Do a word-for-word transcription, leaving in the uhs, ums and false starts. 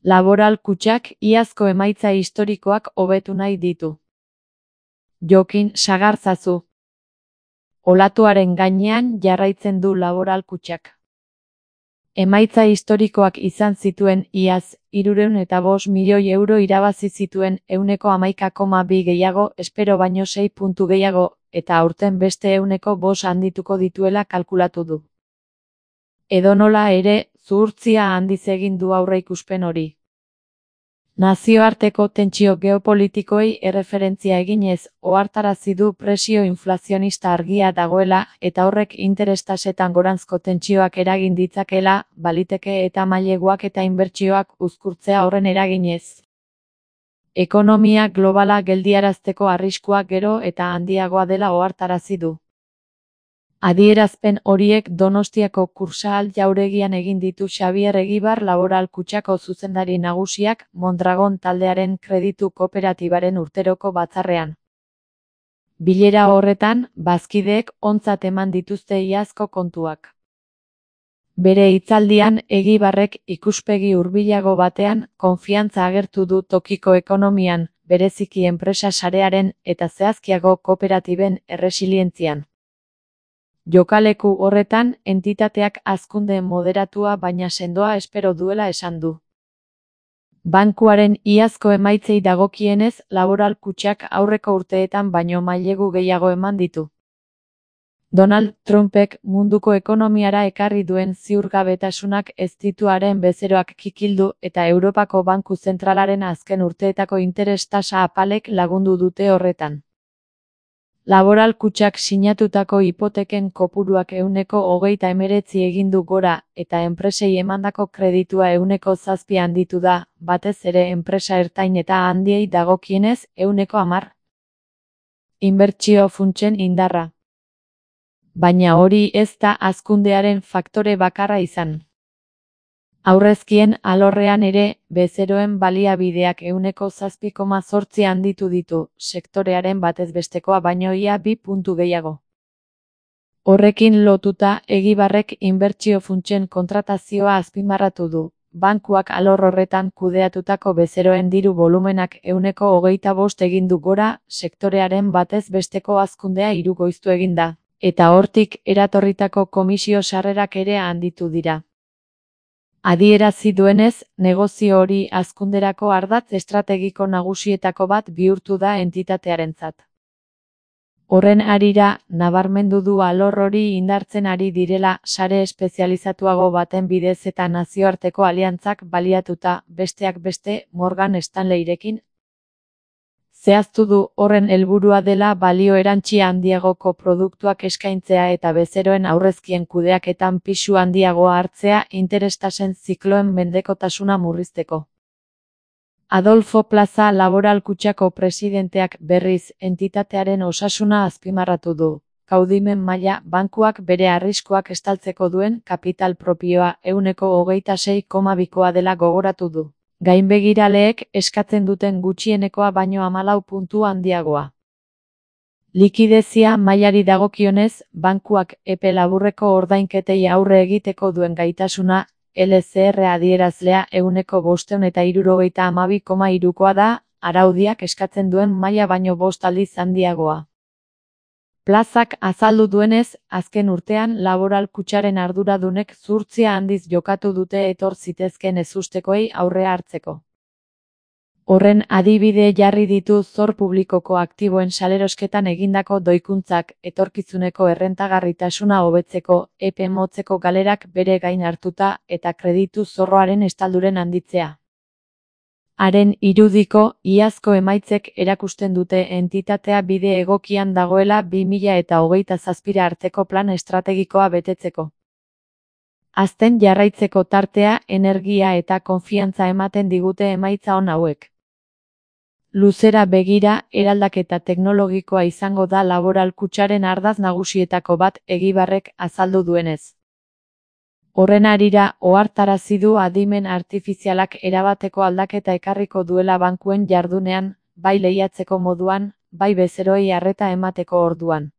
Laboral kutxak iazko emaitza historikoak hobetu nahi ditu. Jokin Sagarzazu. Olatuaren gainean jarraitzen du laboral kutxak. Emaitza historikoak izan zituen iaz, hirurehun eta bost milioi euro irabazi zituen ehuneko hamaika koma bi gehiago, espero baino sei puntu gehiago, eta aurten beste ehuneko bost handituko dituela kalkulatu du. Edonola ere, zuhurtzia handiz egin du aurreikuspen hori. Nazioarteko tentsio geopolitikoei erreferentzia eginez, ohartarazi du presio inflazionista argia dagoela eta horrek interes-tasetan goranzko tentsioak eragin ditzakela, baliteke eta maileguak eta inbertsioak uzkurtzea horren eraginez. Ekonomia globala geldiarazteko arriskua gero eta handiagoa dela ohartarazi du. Adierazpen horiek Donostiako Kursaal jauregian egin ditu Xabier Egibar Laboral Kutxako zuzendari nagusiak Mondragon taldearen kreditu kooperatibaren urteroko batzarrean. Bilera horretan, bazkideek ontzat eman dituzte iazko kontuak. Bere hitzaldian Egibarrek ikuspegi hurbilago batean konfiantza agertu du tokiko ekonomian, bereziki enpresa sarearen eta zehazkiago kooperatiben erresilientzian. Jokaleku horretan, entitateak hazkunde moderatua baina sendoa espero duela esan du. Bankuaren iazko emaitzei dagokienez, Laboral Kutxak aurreko urteetan baino mailegu gehiago eman ditu. Donald Trumpek munduko ekonomiara ekarri duen ziurgabetasunak ez ditu haren bezeroak kikildu eta Europako Banku Zentralaren azken urteetako interes-tasa apalek lagundu dute horretan. Laboral Kutxak sinatutako hipoteken kopuruak ehuneko hogeita hemeretzi egin du gora, eta enpresei emandako kreditua ehuneko zazpi handitu da, batez ere enpresa ertain eta handiei dagokienez ehuneko hamar. Inbertsio funtsen indarra. Baina hori ez da hazkundearen faktore bakarra izan. Aurrezkien alorrean ere, bezeroen baliabideak ehuneko zazpi koma zortzi handitu ditu, sektorearen batez bestekoa baino ia bi puntu gehiago. Horrekin lotuta, Egibarrek inbertsio funtsen kontratazioa azpimarratu du. Bankuak alor horretan kudeatutako bezeroen diru volumenak ehuneko hogeita bost egin du gora, sektorearen batez besteko hazkundea hirukoiztu egin da, eta hortik eratorritako komisio sarrerak ere handitu dira. Adierazi duenez, negozio hori hazkunderako ardatz estrategiko nagusietako bat bihurtu da entitatearentzat. Horren harira, nabarmendu du alor hori indartzen ari direla sare espezializatuago baten bidez eta nazioarteko aliantzak baliatuta, besteak beste, Morgan Stanleyrekin. Zehaztu du horren helburua dela balio erantsi handiagoko produktuak eskaintzea eta bezeroen aurrezkien kudeaketan pisu handiagoa hartzea interestasen zikloen mendekotasuna murrizteko. Adolfo Plaza Laboral Kutxako presidenteak berriz entitatearen osasuna azpimarratu du. Kaudimen maila bankuak bere arriskuak estaltzeko duen kapital propioa ehuneko hogeita sei koma bikoa dela gogoratu du. Gainbegiraleek eskatzen duten gutxienekoa baino hamalau puntu handiagoa. Likidezia mailari dagokionez, bankuak epe laburreko ordainketei aurre egiteko duen gaitasuna, L C R adierazlea ehuneko bostehun eta hirurogeita hamabi koma hirukoa da, araudiak eskatzen duen maila baino bost aldiz handiagoa. Plazak azaldu duenez, azken urtean Laboral Kutxaren arduradunek zuhurtzia handiz jokatu dute etor zitezkeen ezustekoei aurrea hartzeko. Horren adibide jarri ditu zor publikoko aktiboen salerosketan egindako doikuntzak, etorkizuneko errentagarritasuna hobetzeko, epe motzeko galerak bere gain hartuta eta kreditu zorroaren estalduren handitzea. Haren irudiko, iazko emaitzek erakusten dute entitatea bide egokian dagoela bi mila eta hogeita zazpira arteko plan estrategikoa betetzeko. Hazten jarraitzeko tartea, energia eta konfiantza ematen digute emaitza on hauek. Luzera begira, eraldaketa teknologikoa izango da Laboral Kutxaren ardatz nagusietako bat Egibarrek azaldu duenez. Horren harira, ohartarazi du adimen artifizialak erabateko aldaketa ekarriko duela bankuen jardunean, bai lehiatzeko moduan, bai bezeroei arreta emateko orduan.